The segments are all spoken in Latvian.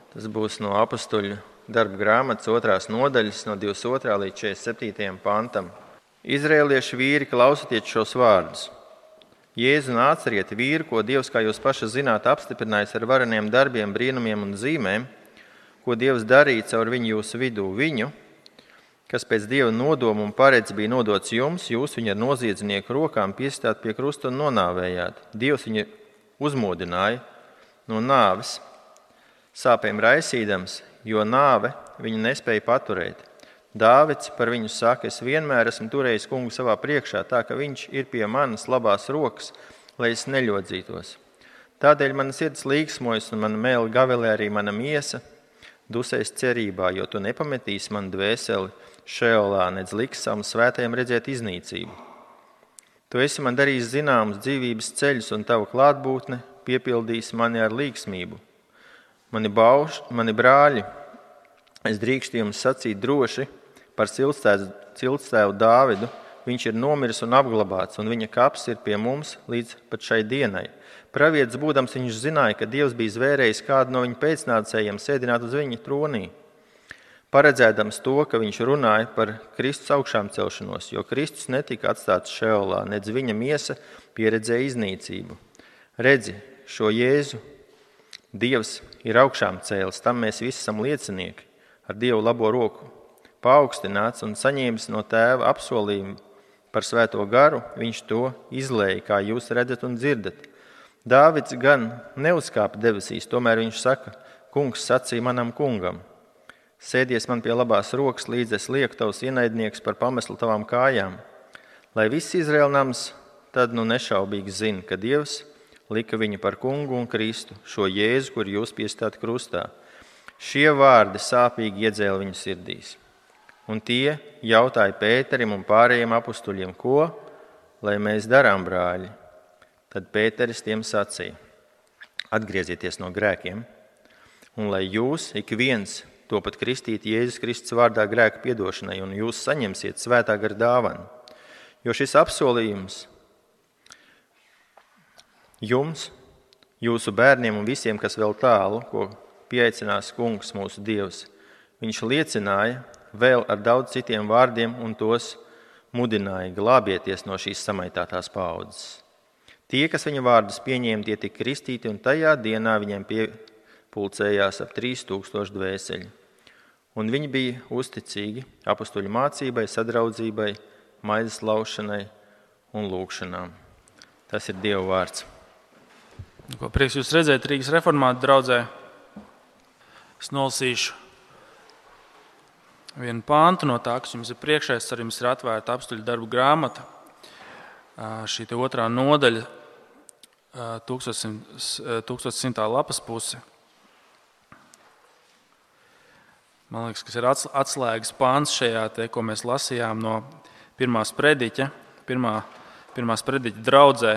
Tas būs no Apostuļu darba grāmatas 2. nodaļas, no 22. līdz 47. pantam. Izraēlieši vīri, klausieties šos vārdus. Jēzu Nācarieti vīru, ko Dievs, kā jūs paši zināt, apstiprinājis ar vareniem darbiem, brīnumiem un zīmēm, ko Dievs darīja caur viņu jūsu vidū, viņu, kas pēc Dieva nodoma un paredz bija nodots jums, jūs viņu ar noziedznieku rokām piestāt pie krusta un nonāvējāt. Dievs viņu uzmodināja no nāves, sāpēm raisīdams, jo nāve viņu nespēja paturēt. Dāvids par viņu saka, es vienmēr esmu turējis kungu savā priekšā, tā ka viņš ir pie manas labās rokas, lai es neļodzītos. Tādēļ mana sirds līksmojas un mana mēle gavelē arī mana miesa, dusēs cerībā, jo tu nepametīsi manu dvēseli šeolā, nedz liks savam svētajam redzēt iznīcību. Tu esi man darījis zināmus dzīvības ceļus, un tava klātbūtne piepildīs mani ar līksmību. Mani brāļi, es drīkstu jums sacīt droši par ciltstēvu Dāvidu. Viņš ir nomiris un apglabāts, un viņa kaps ir pie mums līdz pat šai dienai. Pravietis būdams, viņš zināja, ka Dievs bija zvērējis kādu no viņa pēcnācējiem sēdināt uz viņa tronī, paredzēdams to, ka viņš runāja par Kristus augšām celšanos, jo Kristus netika atstāts šeolā, nedz viņa miesa pieredzēja iznīcību. Redzi, šo Jēzu Dievs ir augšām cēlis, tam mēs visi esam liecinieki, ar Dievu labo roku paaugstināts un saņēmis no Tēva apsolījumu par svēto garu, viņš to izlēja, kā jūs redzat un dzirdat. Dāvids gan neuzkāpa debesīs, tomēr viņš saka, kungs sacīja manam kungam, sēdies man pie labās rokas, līdz es lieku tavs ienaidnieks par pameslu tavām kājām. Lai viss Izraēla nams tad nu nešaubīgi zina, ka Dievs lika viņu par kungu un Kristu, šo Jēzu, kur jūs piestāt krustā. Šie vārdi sāpīgi iedzēla viņu sirdīs. Un tie jautāja Pēterim un pārējiem apustuļiem, ko, lai mēs darām, brāļi? Tad Pēteris tiem sacīja, atgriezieties no grēkiem, un lai jūs, ik viens, topat kristīt Jēzus Kristus vārdā grēku piedošanai, un jūs saņemsiet svētā gara dāvanu. Jo šis apsolījums jums, jūsu bērniem un visiem, kas vēl tālu, ko pieaicinās kungs mūsu Dievs, viņš liecināja vēl ar daudz citiem vārdiem un tos mudināja glābieties no šīs samaitātās paaudzes. Tie, kas viņa vārdus pieņēma, tie tika kristīti, un tajā dienā viņiem piepulcējās ap 3000 dvēseļi. Un viņi bija uzticīgi apustuļu mācībai, sadraudzībai, maizes laušanai un lūgšanām. Tas ir Dieva vārds. Ko prieks jūs redzēt Rīgas reformātu draudzē. Es nolasīšu vienu pāntu no tā, kas jums ir priekšā. Ar jums ir atvērta apustuļu darbu grāmata. Šī 2. nodaļa, 1100. lapas puse. Man liekas, kas ir atslēgas pāns šajā, ko mēs lasījām no pirmās prediķa draudzē.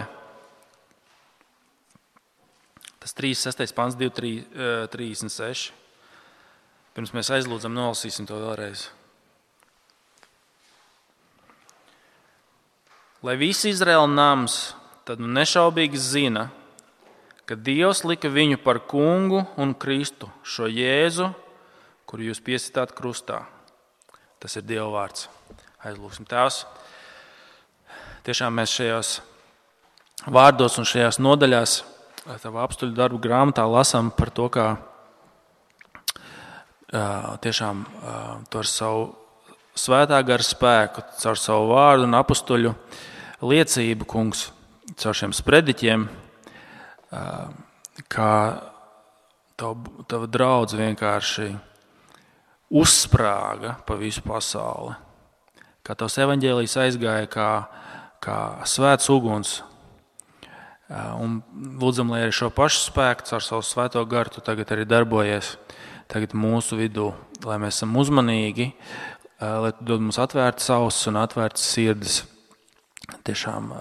Tas 36. pāns, 2:36. Pirms mēs aizlūdzam, nolasīsim to vēlreiz. Lai visi Izraēla nams tad nešaubīgi zina, ka Dievs lika viņu par kungu un Kristu, šo Jēzu, kuru jūs piesitāt krustā. Tas ir Dieva vārds. Aizlūksim. Tēvs, tiešām mēs šajos vārdos un šajās nodaļās tavā apustuļu darbu grāmatā lasām par to, kā tiešām to ar savu svētā gara spēku, caur savu vārdu un apustuļu liecību, kungs, caur šiem sprediķiem, kā tava draudze vienkārši uzsprāga pa visu pasauli. Kā tavs evaņģēlijs aizgāja kā svēts uguns. Un lūdzam, lai arī šo pašu spēku caur savu svēto garu tu tagad arī darbojies tagad mūsu vidū, lai mēs esam uzmanīgi, lai tu dod mums atvērtas ausis un atvērtas sirdis, tiešām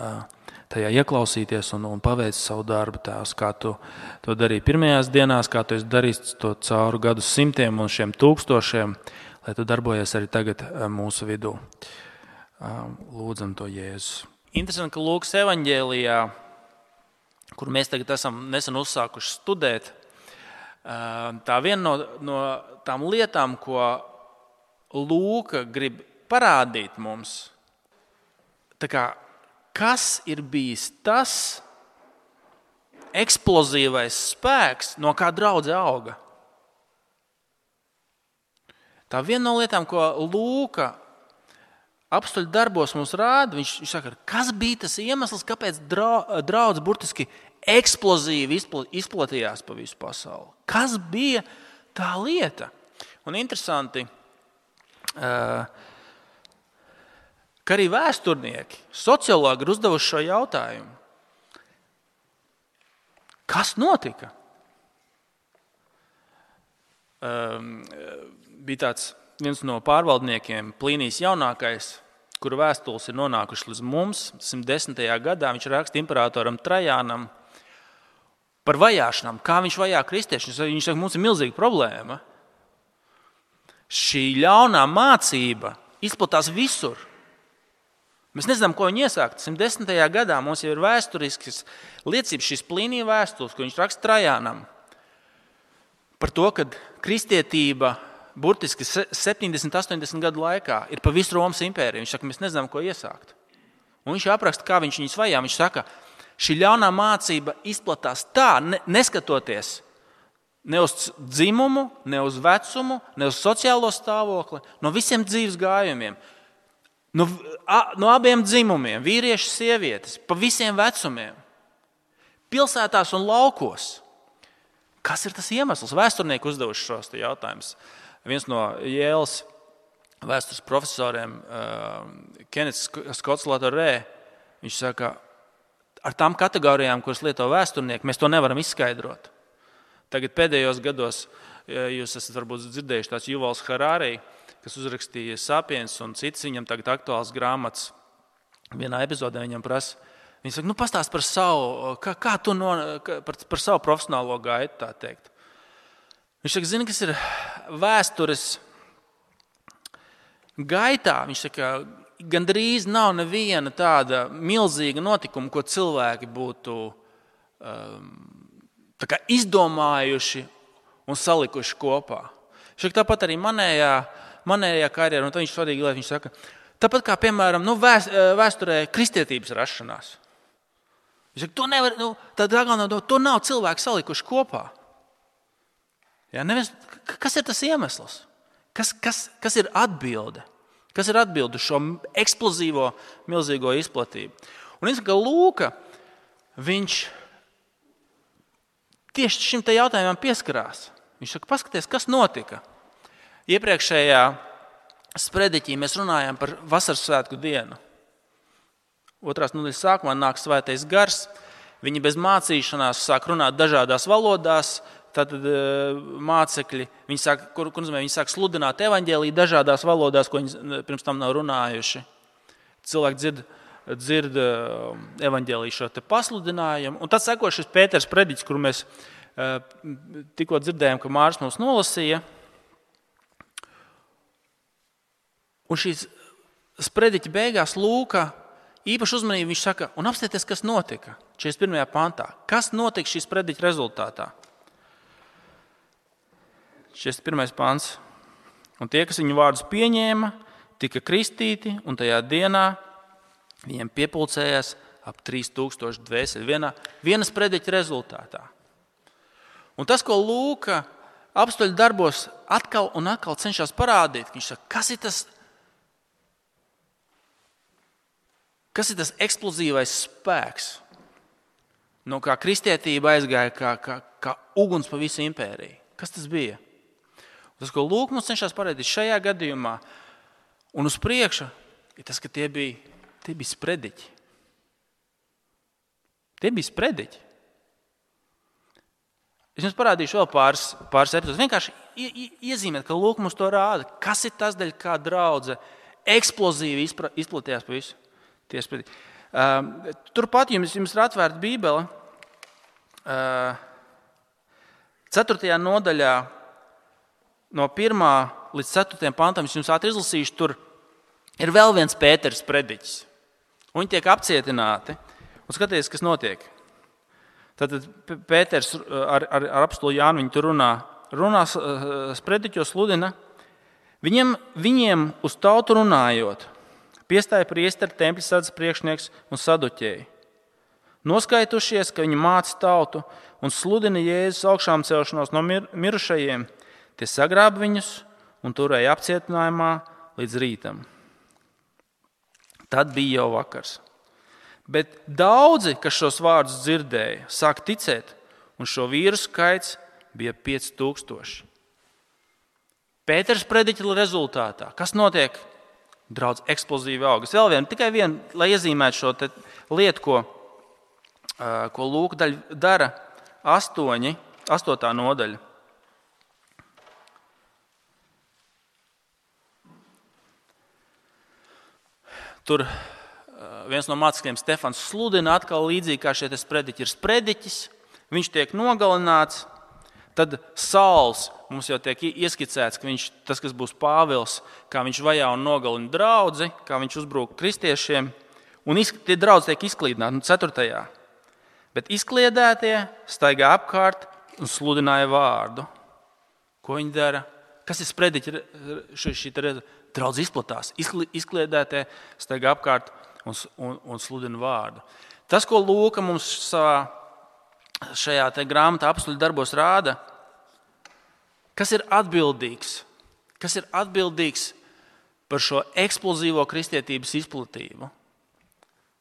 tajā ieklausīties un paveic savu darbu, Tēvs, kā tu to darīji pirmajās dienās, kā tu esi darījis to cauri gadu simtiem un šiem tūkstošiem, lai tu darbojies arī tagad mūsu vidū. Lūdzam to Jēzus. Interesanti, ka Lūkas evaņģēlijā, kur mēs tagad esam nesen uzsākuši studēt, Tā viena no tām lietām, ko Lūka grib parādīt mums, kas ir bijis tas eksplozīvais spēks, no kā draudze auga. Tā viena no lietām, ko Lūka apstuļu darbos mums rāda, viņš saka, kas bija tas iemesls, kāpēc draudze burtiski eksplozīvi izplatījās pa visu pasauli. Kas bija tā lieta? Un interesanti, ka arī vēsturnieki, sociologi ir uzdevuši šo jautājumu. Kas notika? Bija viens no pārvaldniekiem, Plīnijs jaunākais, kura vēstules ir nonākušas līdz mums 110. gadā. Viņš raksta imperatoram Trajānam par vajāšanām, kā viņš vajā kristiešus. Viņš saka, mums ir milzīga problēma. Šī ļaunā mācība izplatās visur. Mēs nezinām, ko viņi iesākt. 110. gadā mums jau ir vēsturiskas liecības, šīs Plīnija vēstules, ko viņš raksta Trajānam, par to, ka kristietība burtiski 70-80 gadu laikā ir pa visu Romas impēriju. Viņš saka, mēs nezinām, ko iesākt. Un viņš apraksta, kā viņš viņus vajā. Viņš saka, šī ļaunā mācība izplatās tā, neskatoties ne uz dzimumu, ne uz vecumu, ne uz sociālo stāvokli, no visiem dzīves gājumiem. No abiem dzimumiem, vīrieši, sievietes, pa visiem vecumiem, pilsētās un laukos. Kas ir tas iemesls? Vēsturnieki uzdevuši šos jautājumus. Viens no Jēlas vēstures profesoriem, Kenets Skots Latorē, viņš saka, ar tām kategorijām, kuras lieto vēsturnieki, mēs to nevaram izskaidrot. Tagad pēdējos gados jūs esat varbūt dzirdējuši tāds Juvals Harari, kas uzrakstīja Sapiens un citas, viņam tagad aktuāls grāmatas. Vienā epizodē viņam prasa, viņš saka, pastāst par savu, kā tu par savu profesionālo gaitu, tā teikt. Viņš saka, zini, kas ir vēstures gaitā. Viņš saka, gandrīz nav neviena tāda milzīga notikuma, ko cilvēki būtu izdomājuši un salikuši kopā. Viņš saka, tāpat arī manējā karjerā, un tad viņš svarīgi lieta, viņš saka, tāpat kā, piemēram, vēsturē kristietības rašanās. Viņš saka, to nevar, to nav cilvēki salikuši kopā. Ja, kas ir tas iemesls? Kas ir atbilde? Kas ir atbilde uz šo eksplozīvo, milzīgo izplatību? Un es saku, ka Lūka, viņš tieši šim te jautājumam pieskarās. Viņš saka, paskaties, kas notika. Iepriekšējā sprediķī mēs runājām par vasaras svētku dienu. Otrās nedēļas sākumā nāk svētais gars. Viņi bez mācīšanās sāk runāt dažādās valodās. Tātad mācekļi, viņi sāk sludināt evaņģēliju dažādās valodās, ko viņi pirms tam nav runājuši. Cilvēki dzird evaņģēliju šo te pasludinājumu. Un tad seko šis Pēters prediķis, kuru mēs tikko dzirdējām, ka Māris mums nolasīja. Un šīs sprediķa beigās Lūka īpaši uzmanību viņš saka, un apstieties, kas notika 41. pantā. Kas notika šīs sprediķa rezultātā? 41. pants. Un tie, kas viņu vārdus pieņēma, tika kristīti, un tajā dienā viņiem piepulcējās ap 3000 dvēseli viena sprediķa rezultātā. Un tas, ko Lūka apstuļu darbos atkal un atkal cenšas parādīt, viņš saka, kas ir tas eksplozīvais spēks, no kā kristietība aizgāja kā uguns pa visu impēriju. Kas tas bija? Tas, ko Lūka mums cenšas parādīt šajā gadījumā un uz priekšu, ir tas, ka tie bija sprediķi. Tie bija sprediķi. Es jums parādīšu vēl pāris epizodus. Vienkārši iezīmēt, ka Lūka mums to rāda. Kas ir tas, daļa, kā draudze eksplozīvi izplatījās pa visu tie sprediķi. Turpat jums ir atvērta Bībele. 4. nodaļā no 1. līdz 4. pantam, es jums ātri izlasīšu, tur ir vēl viens Pēters prediķis. Viņi tiek apcietināti. Un skatieties, kas notiek. Tad Pēters ar apostoli Jānu viņi tur runā sprediķos sludina. Viņiem uz tautu runājot, piestāja priesteri, tempļa sardzes priekšnieks un saduķēji. Noskaitušies, ka viņi māca tautu un sludina Jēzus augšām celšanos no mirušajiem, tie sagrāba viņus un turēja apcietinājumā līdz rītam. Tad bija jau vakars. Bet daudzi, kas šos vārdus dzirdēja, sāk ticēt, un šo vīru skaits bija 5000. Pēters prediķa rezultātā. Kas notiek? Draudz eksplozīvi augas. Vēl tikai viena, lai iezīmētu šo lietu, ko Lūka dara 8. nodaļa. Tur viens no mācekļiem, Stefans, sludina atkal līdzīgi kā šie sprediķi. Ir sprediķis, viņš tiek nogalināts, tad Sauls mums jau tiek ieskicēts, ka viņš, tas, kas būs Pāvils, kā viņš vajā un nogalina draudzi, kā viņš uzbrūk kristiešiem, un tie draudzi tiek izklīdināti 4. Bet izkliedētie staigā apkārt un sludināja vārdu. Ko viņi dara? Kas ir sprediķi? Šī draudz izplatās. Izkliedētie staigā apkārt un sludina vārdu. Tas, ko Lūka mums šajā grāmatā Apostļu darbos rāda, kas ir atbildīgs? Kas ir atbildīgs par šo eksplozīvo kristietības izplatību?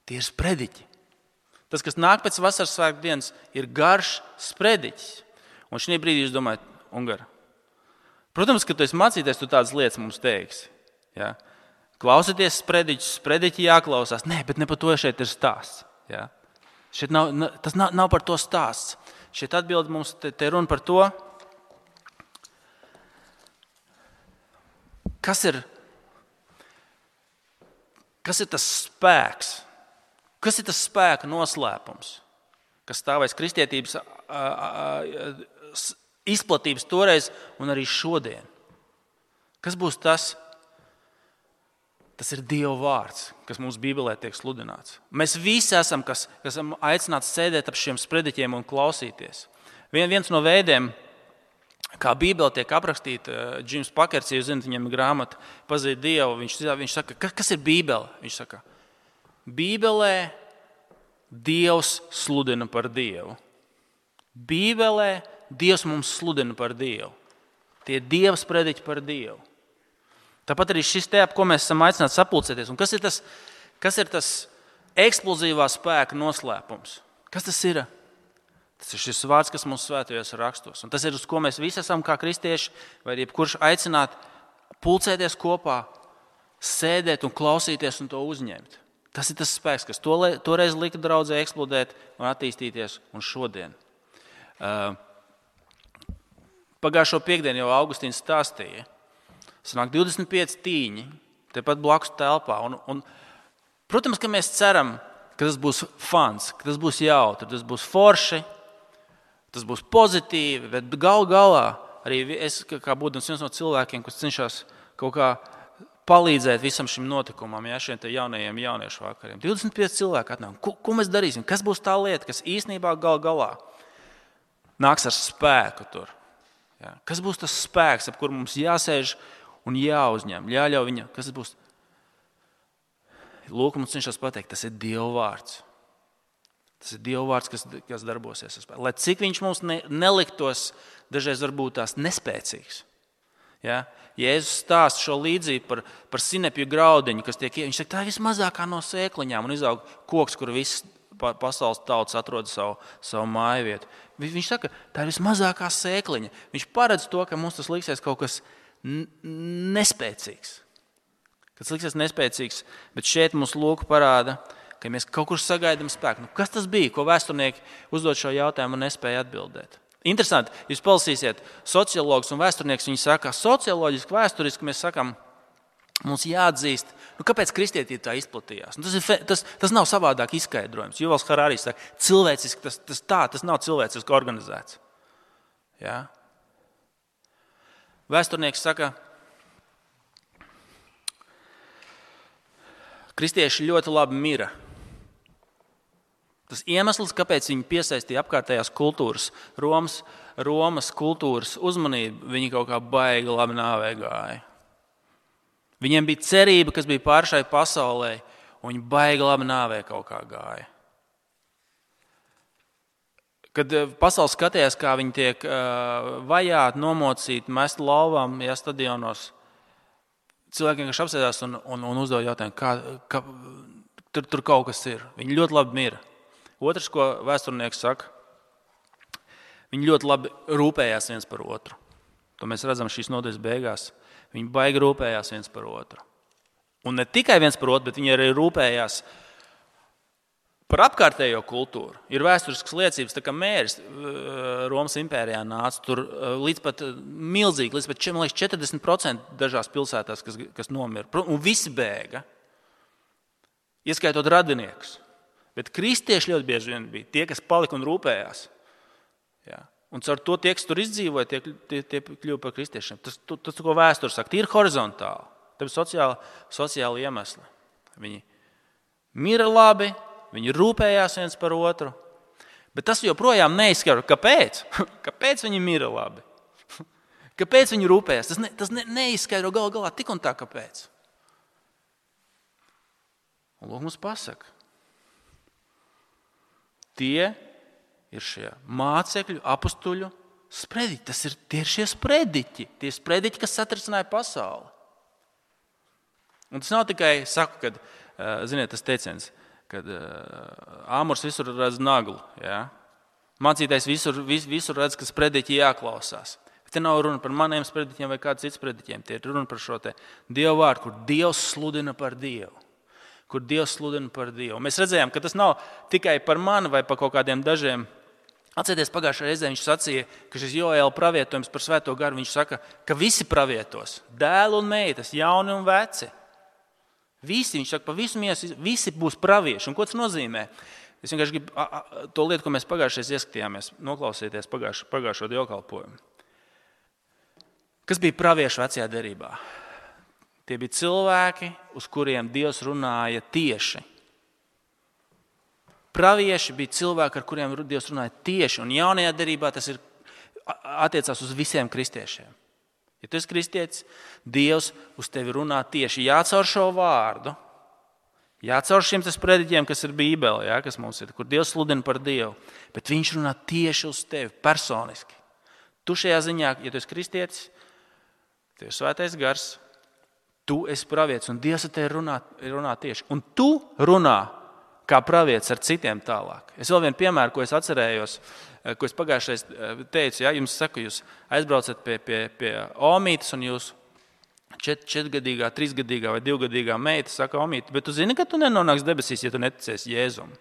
Tie ir sprediķi. Tas, kas nāk pēc vasaras svētku dienas, ir garš sprediķis. Un šī brīdī jūs domājat, Ungara, protams, ka tu esi mācīties, tu tādas lietas mums teiksi. Ja? Klausieties sprediķi jāklausās. Nē, bet ne par to šeit ir stāsts. Ja? Šeit tas nav par to stāsts. Šeit atbild mums te runa par to, kas ir tas spēks, kas ir tas spēka noslēpums, kas stāvēs kristietības izplatības toreiz un arī šodien. Kas būs tas? Tas ir Dieva vārds, kas mums Bībelē tiek sludināts. Mēs visi esam, kas esam aicināti sēdēt ap šiem sprediķiem un klausīties. Viens no veidiem, kā Bībele tiek aprakstīta, Džims Pakerts, jūs zināt, viņam ir grāmata Pazīt Dievu, viņš saka, kas ir Bībele? Viņš saka, Bībelē Dievs sludina par Dievu. Bībelē Dievs mums sludina par Dievu. Tie ir Dieva sprediķi par Dievu. Tāpat arī šis ap ko mēs esam aicināti sapulcēties. Un kas ir tas eksplozīvā spēka noslēpums? Kas tas ir? Tas ir šis vārds, kas mums svētajos rakstos. Un tas ir, uz ko mēs visi esam kā kristieši, vai jebkurš aicināt pulcēties kopā, sēdēt un klausīties un to uzņemt. Tas ir tas spēks, kas toreiz lika draudzē eksplodēt un attīstīties un šodien. Pagājušo piekdienu jau Augustīns stāstīja. Sanāk 25 tīņi, tepat blakus telpā. Protams, ka mēs ceram, ka tas būs fans, ka tas būs jautri, tas būs forši, tas būs pozitīvi, bet galā arī es, kā būdams viens no cilvēkiem, kas cenšas kaut kā palīdzēt visam šim notikumam, šiem jaunajiem jauniešu vakariem. 25 cilvēki atnāk. Ko mēs darīsim? Kas būs tā lieta, kas īstenībā galā nāks ar spēku tur? Ja? Kas būs tas spēks, ap kur mums jāsēž un jāuzņem, jāļauj viņam? Kas tas būs? Lūk, mums cenšas pateikt, tas ir Dieva vārds. Tas ir Dieva vārds, kas darbosies. Lai cik viņš mums neliktos, dažreiz varbūt tās nespēcīgs. Ja? Jēzus stāsta šo līdzību par sinepju graudiņu, kas tiek viņš saka, tā ir vismazākā no sēkliņām un izaug koks, kur viss pasaules tautas atrod savu māju vietu. Viņš saka, tā ir vismazākā sēkliņa. Viņš paredz to, ka mums tas liksies kaut kas nespēcīgs. Tas liksies nespēcīgs, bet šeit mums Lūka parāda, ka mēs kaut kur sagaidām spēku. Kas tas bija, ko vēsturnieki uzdod šo jautājumu un nespēja atbildēt? Interesanti, jūs palasīsiet sociologus un vēsturnieks, viņi saka, socioloģiski, vēsturiski mēs sakam, mums jāatzīst, kāpēc kristietība tā izplatījās. Tas nav savādāk izskaidrojums. Juvals Harāris saka, cilvēciski tas nav cilvēciski organizēts. Ja? Vēsturnieks saka, kristieši ļoti labi mira. Tas iemesls, kāpēc viņi piesaistīja apkārtējās kultūras, Romas kultūras uzmanību, viņi kaut kā baigi labi nāvē gāja. Viņiem bija cerība, kas bija pār šai pasaulē, un viņi baigi labi nāvē kaut kā gāja. Kad pasaule skatījās, kā viņi tiek vajāti, nomocīti, mesti lauvām, stadionos, cilvēkiem, kas apsēdās un uzdod jautājumu, tur kaut kas ir. Viņi ļoti labi mira. Otrs, ko vēsturnieks saka, viņi ļoti labi rūpējās viens par otru. To mēs redzam šīs nodaļas beigās. Viņi baigi rūpējās viens par otru. Un ne tikai viens par otru, bet viņi arī rūpējās par apkārtējo kultūru. Ir vēsturiskas liecības, tā kā mēris Romas impērijā nāca, tur līdz pat milzīgi, līdz pat 40% dažās pilsētās, kas nomira. Un visi bēga, ieskaitot radiniekus. Bet kristieši ļoti bieži vien bija tie, kas palika un rūpējās. Ja. Un caur to tie, kas tur izdzīvoja, tie kļuva par kristiešiem. Tas, ko vēsture saka, ir horizontāli. Tāpēc sociāli iemesli. Viņi mira labi, viņi rūpējās viens par otru. Bet tas joprojām neizskaro. Kāpēc? Kāpēc viņi mira labi? Kāpēc viņi rūpējās? Tas neizskaidro galu galā tik un tā, kāpēc. Un lūk, mums pasaka. Tie ir šie mācekļu, apustuļu sprediķi. Tie ir šie sprediķi. Tie sprediķi, kas satricināja pasauli. Un tas nav tikai, saku, ziniet, tas teiciens, kad āmurs visur redz naglu. Ja? Mācītājs visur redz, ka sprediķi jāklausās. Bet te nav runa par maniem sprediķiem vai kāds cits sprediķiem. Tie ir runa par šo te Dievu vārdu, kur Dievs sludina par Dievu. Kur Dievs sludina par Dievu. Mēs redzējām, ka tas nav tikai par mani vai par kaut kādiem dažiem. Atcerieties, pagājušajā reizē viņš sacīja, ka šis Joēla pravietojums par Svēto garu, viņš saka, ka visi pravietos, dēli un meitas, jauni un veci. Visi, viņš saka, pa visu miesu, visi būs pravieši. Un ko tas nozīmē? Es vienkārši gribu to lietu, ko mēs pagājušajā ieskatījāmies, noklausīties pagājušo dievkalpojumu. Kas bija pravieši vecajā derībā? Tie bija cilvēki, uz kuriem Dievs runāja tieši. Pravieši bija cilvēki, ar kuriem Dievs runāja tieši. Un jaunajā derībā tas attiecās uz visiem kristiešiem. Ja tu esi kristietis, Dievs uz tevi runā tieši. Jācaur šo vārdu, jācaur šiem sprediķiem, kas ir Bībelē, ja, kas mums ir, kur Dievs sludina par Dievu. Bet viņš runā tieši uz tevi, personiski. Tu šajā ziņā, ja tu esi kristietis, tev ir Svētais gars, tu esi pravietis un Dievs ar tevi runā tieši. Un tu runā kā pravietis ar citiem tālāk. Es vēl vienu piemēru, ko es atcerējos, ko es pagājušais teicu. Ja, jums saku, jūs aizbraucat pie omītes un jūs 4-gadīgā, 3-gadīgā vai 2-gadīgā meita saka, omīte, bet tu zini, ka tu nenonāks debesīs, ja tu neticēsi Jēzum.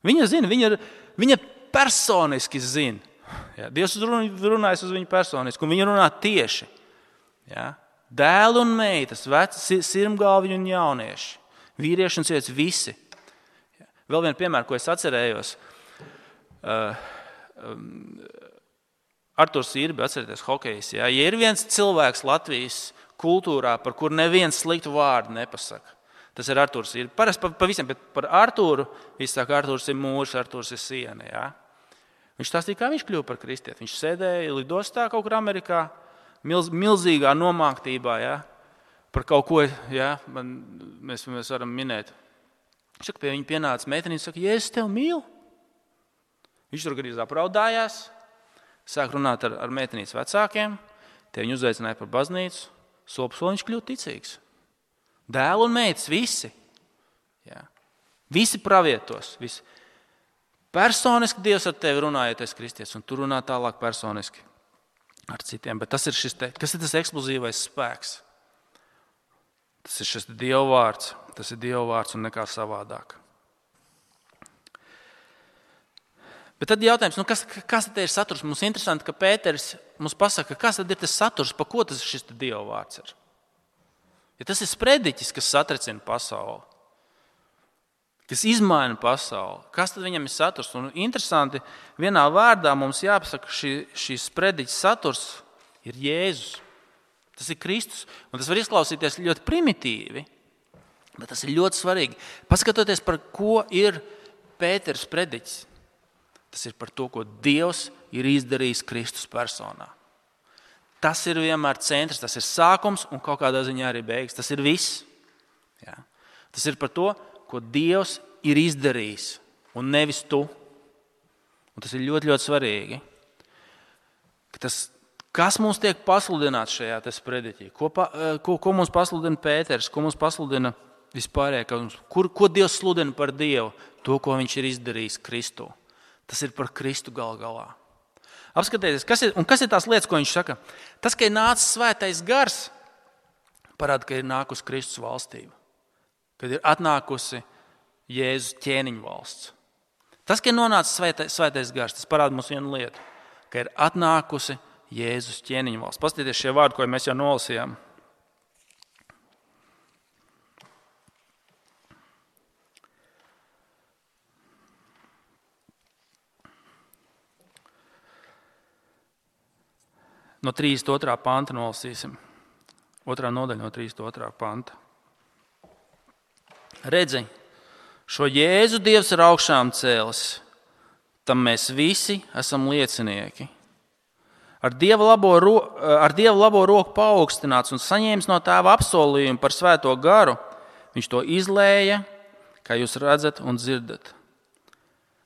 Viņa zina, viņa personiski zina. Ja, Dievs runājas uz viņu personiski un viņa runā tieši. Ja. Dēli un meitas, veci, sirmgalviņi un jaunieši, vīrieši un sievietes, visi. Vēl vienu piemēru, ko es atcerējos. Arturs Irbi, atcerieties, hokejs. Ja ir viens cilvēks Latvijas kultūrā, par kuru neviens sliktu vārdu nepasaka, tas ir Arturs Irbi. Parasti pa visiem, bet par Arturu, viņš saka, Arturs ir mūrs, Arturs ir siena. Ja? Viņš stāstīja, kā viņš kļuva par kristieti. Viņš sēdēja lidostā kaut kur Amerikā, milzīgā nomāktībā, ja, par kaut ko, ja, mēs varam minēt. Viņš saka, pie viņa pienāca meitenīte, saka, Jēzus tev mīl. Viņš tur gandrīz apraudājās, sāk runāt ar meitenītes vecākiem, te viņu uzaicināja par baznīcu, soli viņš kļūst ticīgs. Dēli un meitas, visi. Ja. Visi pravietos, visi. Personiski Dievs ar tevi runā, ja tu esi kristietis, un tu runā tālāk personiski ar citiem, bet kas ir tas eksplozīvais spēks? Tas ir šis Dieva vārds un nekā savādāk. Bet tad jautājums, kas tad ir saturs? Mums interesanti, ka Pēteris mums pasaka, kas tad ir tas saturs, pa ko tas šis Dieva vārds ir. Ja tas ir sprediķis, kas satricina pasauli, kas izmaina pasauli, kas tad viņam ir saturs? Un interesanti, vienā vārdā mums jāpasaka, šīs sprediķis saturs ir Jēzus. Tas ir Kristus. Un tas var izklausīties ļoti primitīvi, bet tas ir ļoti svarīgi. Paskatoties, par ko ir Pēters prediķis, tas ir par to, ko Dievs ir izdarījis Kristus personā. Tas ir vienmēr centrs, tas ir sākums un kaut kādā ziņā arī beigas. Tas ir viss. Ja? Tas ir par to, ko Dievs ir izdarījis un nevis tu. Un tas ir ļoti, ļoti svarīgi. Kas mums tiek pasludināts šajā sprediķī? Ko mums pasludina Pēters? Ko mums pasludina vispārējā? Ko Dievs sludina par Dievu? To, ko viņš ir izdarījis Kristu. Tas ir par Kristu gal galā. Apskatieties, kas ir tās lietas, ko viņš saka? Tas, ka ir nācis svētais gars, parāda, ka ir nākusi Kristus valstība. Kad ir atnākusi Jēzus ķēniņu valsts. Tas, ka ir nonācis svētais gars, tas parāda mums vienu lietu, ka ir atnākusi Jēzus ķēniņu valsts. Paskatieties šie vārdi, ko mēs jau nolasījām. No 32. panta nolasīsim. 2. nodaļa no 32. panta. Redzi, šo Jēzu Dievs ir augšām cēlis, tam mēs visi esam liecinieki. Ar Dieva labo roku paaugstināts un saņēmis no Tēva apsolījumu par svēto garu, viņš to izlēja, kā jūs redzat un dzirdat.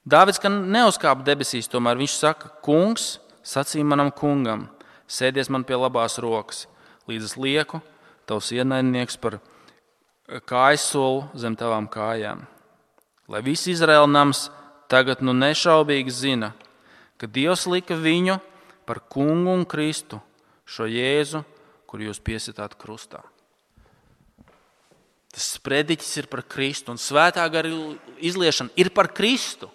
Dāvids, ka neuzkāpa debesīs, tomēr viņš saka, kungs, sacīja manam kungam, sēdies man pie labās rokas, līdz es lieku tavs ienaidnieks par kājsolu zem tavām kājām. Lai viss Izraēla nams tagad nešaubīgi zina, ka Dievs lika viņu par kungu un Kristu, šo Jēzu, kur jūs piesitāt krustā. Tas sprediķis ir par Kristu un svētā gara izliešana ir par Kristu.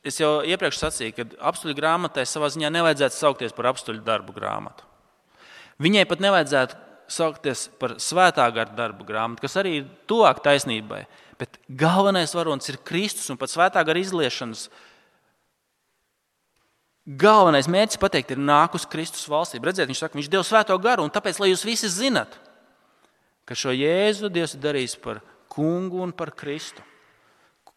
Es jau iepriekš sacīju, ka apstuļu grāmatai savā ziņā nevajadzētu saukties par apstuļu darbu grāmatu. Viņai pat nevajadzētu saukties par svētā gara darbu grāmatu, kas arī ir tuvāk taisnībai. Bet galvenais varonis ir Kristus un pat svētā gara izliešanas. Galvenais mērķis pateikt ir nākus Kristus valstība. Redziet, viņš saka, viņš deva svēto garu un tāpēc, lai jūs visi zinat, ka šo Jēzu Dievs ir darījis par kungu un par Kristu.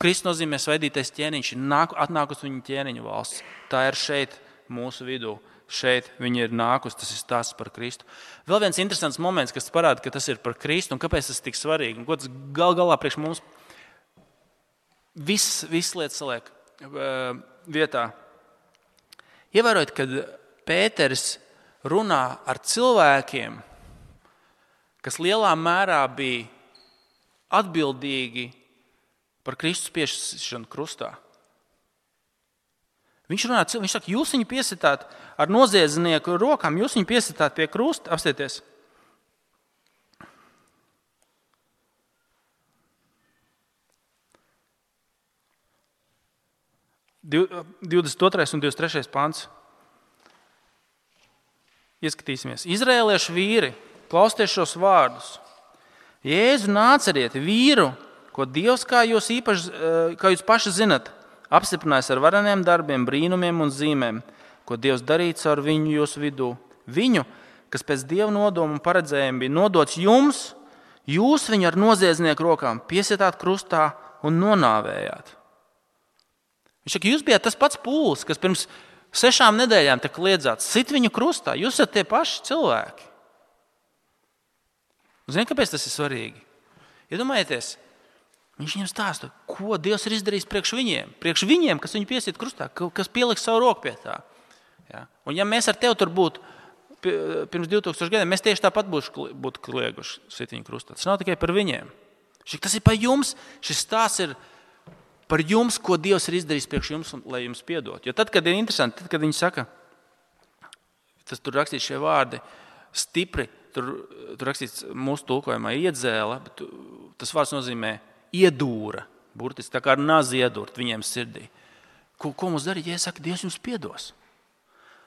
Kristus nozīmē svaidītais ķēniņš, atnākusi viņa ķēniņu valsts. Tā ir šeit mūsu vidū. Šeit viņa ir nākusi, tas ir stāsts par Kristu. Vēl viens interesants moments, kas parāda, ka tas ir par Kristu un kāpēc tas ir tik svarīgi. Un ko tas galā priekš mums viss lietas saliek vietā. Ievērojot, kad Pēters runā ar cilvēkiem, kas lielā mērā bija atbildīgi par Kristus piešķiršanu krustā. Viņš runā, viņš saka, jūs viņu piesitāt ar noziedznieku rokām, jūs viņu piesitāt pie krusta. Apstieties. – 22. un 23. pants. Ieskatīsimies. Izraēliešu vīri, klausieties šos vārdus. Jēzu nāceriet vīru, ko Dievs, kā jūs paši zinat, apstiprinājis ar vareniem darbiem, brīnumiem un zīmēm, ko Dievs darīts ar viņu jūsu vidū. Viņu, kas pēc Dieva nodoma un paredzējuma bija nodots jums, jūs viņu ar noziedznieku rokām piesietāt krustā un nonāvējāt. Viņš saka, jūs bijāt tas pats pūlis, kas pirms 6 nedēļām te kliedzāt, sit viņu krustā. Jūs esat tie paši cilvēki. Ziniet, kāpēc tas ir svarīgi? Iedomājieties, viņš viņam stāsta, ko Dievs ir izdarījis priekš viņiem, kas viņu piesiet krustā, kas pieliks savu roku pie tā. Ja? Un ja mēs ar tevi tur būtu pirms 2000 gadiem, mēs tieši tāpat būtu klieguši sit viņu krustā. Tas nav tikai par viņiem. Tas ir par jums. Šis stāsts ir par jums, ko Dievs ir izdarījis priekš jums, lai jums piedot. Jo tad, kad ir interesanti, tad, kad viņi saka, tas tur rakstīts šie vārdi, stipri, tur rakstīts mūsu tulkojumā iedzēla, bet tas vārds nozīmē iedūra, burtiski tā kā ar nazi iedūrt viņiem sirdī. Ko mums darīt, ja saka, Dievs jums piedos?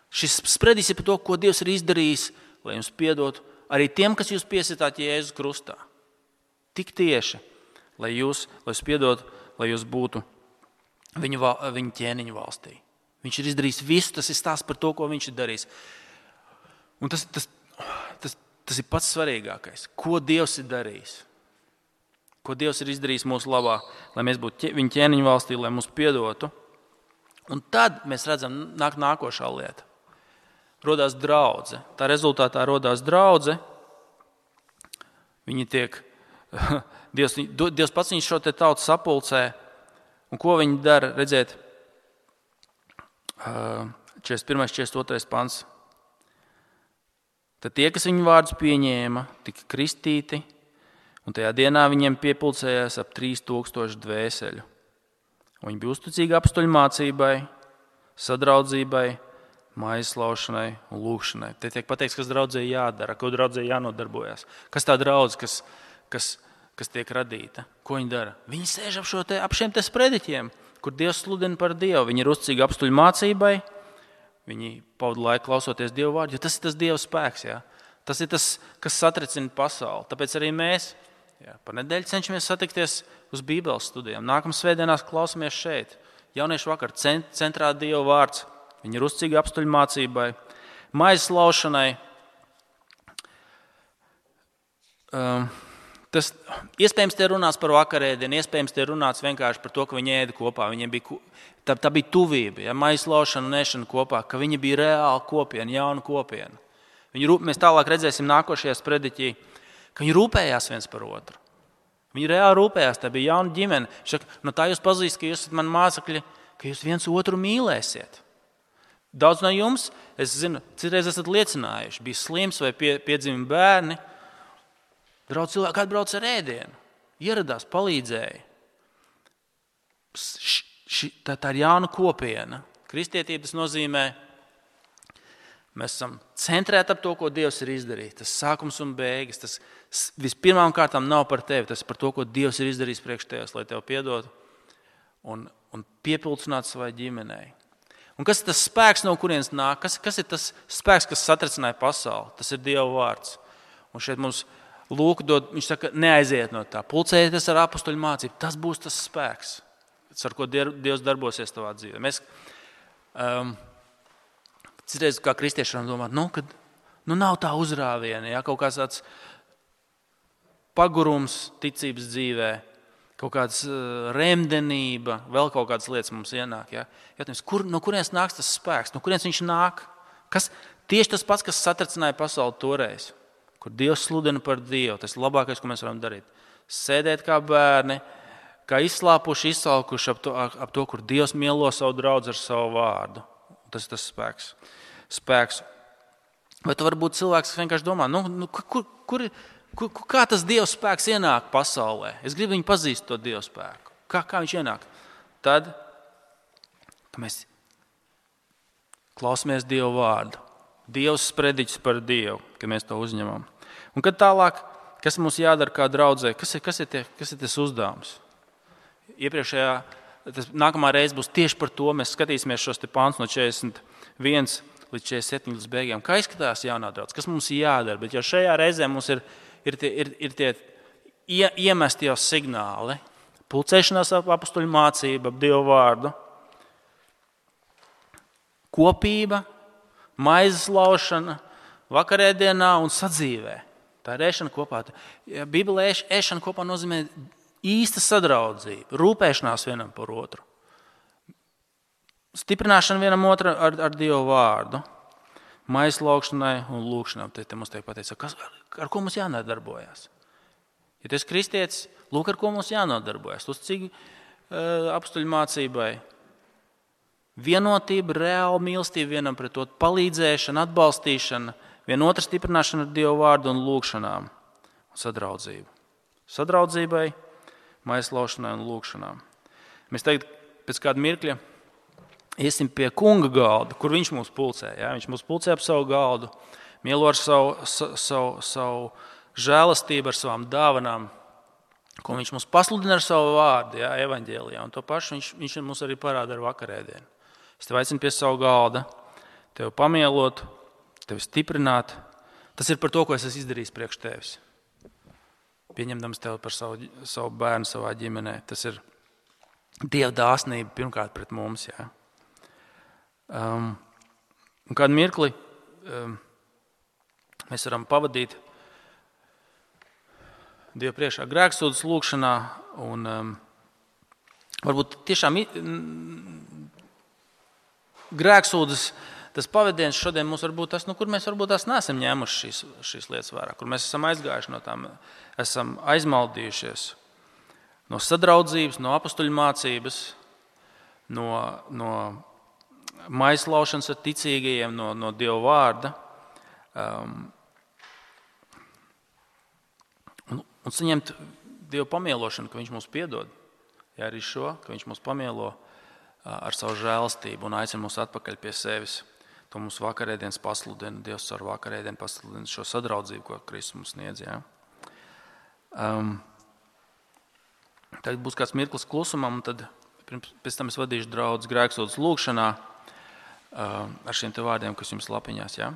Šis spredis ir par to, ko Dievs ir izdarījis, lai jums piedotu arī tiem, kas jūs piesitāt Jēzus krustā. Tik tieši, lai jūs piedotu, lai jūs būtu viņa ķēniņu valstī. Viņš ir izdarījis visu, tas ir stāsts par to, ko viņš ir darījis. Un tas ir pats svarīgākais. Ko Dievs ir darījis? ko Dievs ir izdarījis mūsu labā, lai mēs būtu viņa ķēniņa valstī, lai mūs piedotu. Un tad mēs redzam, nākošā lieta. Rodās draudze. Tā rezultātā rodās draudze. Viņi tiek, Dievs pats viņš šo te tautu sapulcē. Un ko viņi dara? Redziet, 41. 42. pants. Tad tie, kas viņu vārdus pieņēma, tika kristīti, un tajā dienā viņiem piepulcējās ap 3000 dvēseļu. Un viņi bija uzticīgi apustuļu mācībai, sadraudzībai, maizi slaušanai un lūgšanai. Te tiek pateikts, kas draudzē jādara, ko draudzē jānodarbojas. Kas tā draudze, kas tiek radīta? Ko viņi dara? Viņi sēž ap šiem te sprediķiem, kur Dievs sludina par Dievu. Viņi ir uzticīgi apustuļu mācībai, viņi pavada laiku klausoties Dievu vārdu, jo tas ir tas Dieva spēks. Ja? Tas ir tas, kas satricina pasauli. Tāpēc arī mēs par nedēļu cenšamies satikties uz Bībeles studijām. Nākamā svētdienās klausamies šeit. Jauniešu vakar centrā Dieva vārds. Viņi ir uzticīgi apustuļu mācībai, maizes laušanai. Tas iespējams te runāts par vakarēdienu, iespējams te runāts vienkārši par to, ka viņi ēda kopā. Tā bija tuvība, ja, maizes laušana un ēšana kopā, ka viņi bija reāli kopiena, jauna kopiena. Mēs tālāk redzēsim nākošajā sprediķī, ka viņi rūpējās viens par otru. Viņi reāli rūpējās, tā bija jauna ģimene. Šaka, no tā jūs pazīst, ka jūs esat mani mācekļi, ka jūs viens otru mīlēsiet. Daudz no jums, es zinu, citreiz esat liecinājuši, bija slims vai piedzima bērni. Draudz cilvēki atbrauc ar ēdienu, ieradās, palīdzēja. Tā ir jauna kopiena. Kristietība tas nozīmē, mēs esam centrēti ap to, ko Dievs ir izdarījis. Tas sākums un beigas, tas vispirmām kārtām nav par tevi, tas par to, ko Dievs ir izdarījis priekš tevis, lai tev piedotu un piepildītu savai ģimenei. Un kas ir tas spēks, no kurienes nāk? Kas ir tas spēks, kas satricināja pasauli? Tas ir Dieva vārds. Un šeit mums Lūka dod, viņš saka, neaiziet no tā. Pulcējieties ar apustuļu mācību. Tas būs tas spēks, ar ko Dievs darbosies tavā dzīvē. Mēs citreiz kā kristieši varam domāt, kad nav tā uzrāviena, ja, kaut kāds tāds pagurums ticības dzīvē, kaut kāds remdenība, vēl kaut kādas lietas mums ienāk. Ja? No kurienes nāks tas spēks? No kurienes viņš nāk? Tieši tas pats, kas satricināja pasauli toreiz, kur Dievs sludina par Dievu. Tas ir labākais, ko mēs varam darīt. Sēdēt kā bērni, kā izslāpuši, izsalkuši ap to, kur Dievs mielo savu draudzi ar savu vārdu. Tas ir tas spēks. Vai tu varbūt cilvēks, kas vienkārši domā, kā tas Dieva spēks ienāk pasaulē? Es gribu viņu pazīst, to Dieva spēku. Kā viņš ienāk? Tad, ka mēs klausamies Dieva vārdu. Dievs sprediķis par Dievu, ka mēs to uzņemam. Un kad tālāk, kas mums jādara kā draudzē? Kas ir tas uzdevums? Nākamā reize būs tieši par to. Mēs skatīsimies šos te pāns no 41 līdz 47 līdz beigām. Kā izskatās jaunā draudze? Kas mums jādara? Bet jau šajā reizē mums ir tie iemesti jau signāli. Pulcēšanās ap apustuļu mācību, ap Dievu vārdu. Kopība, maizes laušana, vakarēdienā un sadzīvē. Tā ir ēšana kopā. Bībelē ēšana kopā nozīmē īsta sadraudzība, rūpēšanās vienam par otru. Stiprināšana vienam otru ar Dievu vārdu. Maizes laukšanai un lūgšanai. Te mums tiek pateikts, ar ko mums jānodarbojas. Ja tu esi kristietis, lūk, ar ko mums jānodarbojas. Uzticīgi apustuļu mācībai. Vienotība, reāla mīlestība vienam pret otru, palīdzēšana, atbalstīšana, vienotra stiprināšana ar Dievu vārdu un lūgšanām un sadraudzību. Sadraudzībai, maizes laušanai un lūgšanām. Mēs tagad pēc kāda mirkļa iesim pie kunga galda, kur viņš mūs pulcē. Ja? Viņš mūs pulcē ap savu galdu, mielo ar savu žēlastību, ar savām dāvanām, ko viņš mums pasludina ar savu vārdu, ja? Evaņģēlijā. Un to pašu viņš mums arī parāda ar vakarēdienu. Es tev aicinu pie savu galda, tevi pamielot, tevi stiprināt. Tas ir par to, ko es esmu izdarījis priekš tevis. Pieņemdams tevi par savu bērnu savā ģimenē. Tas ir Dieva dāsnība pirmkārt pret mums. Ja? Un kādu mirkli mēs varam pavadīt Dieva priekšā grēksūdzes lūgšanā. Un, varbūt tiešām grēksūdzes, tas pavadiens šodien mums var būt tas, kur mēs varbūt tās neesam ņēmuši šīs lietas vērā, kur mēs esam aizgājuši no tām, esam aizmaldījušies no sadraudzības, no apustuļu mācības, no maislaušanas ar ticīgajiem, no Dieva vārda. Un saņemt Dieva pamielošanu, ka Viņš mūs piedod. Ja arī šo, ka Viņš mūs pamielo ar savu žēlastību un aicina mūs atpakaļ pie sevis. To mums vakarēdienas pasludina, Dievs ar vakarēdienu pasludina šo sadraudzību, ko Kristus mums sniedz. Ja? Tagad būs kāds mirklis klusumam, un tad pēc tam es vadīšu draudzi grēksūdzes lūgšanā ar šiem te vārdiem, kas jums lapiņās. Ja?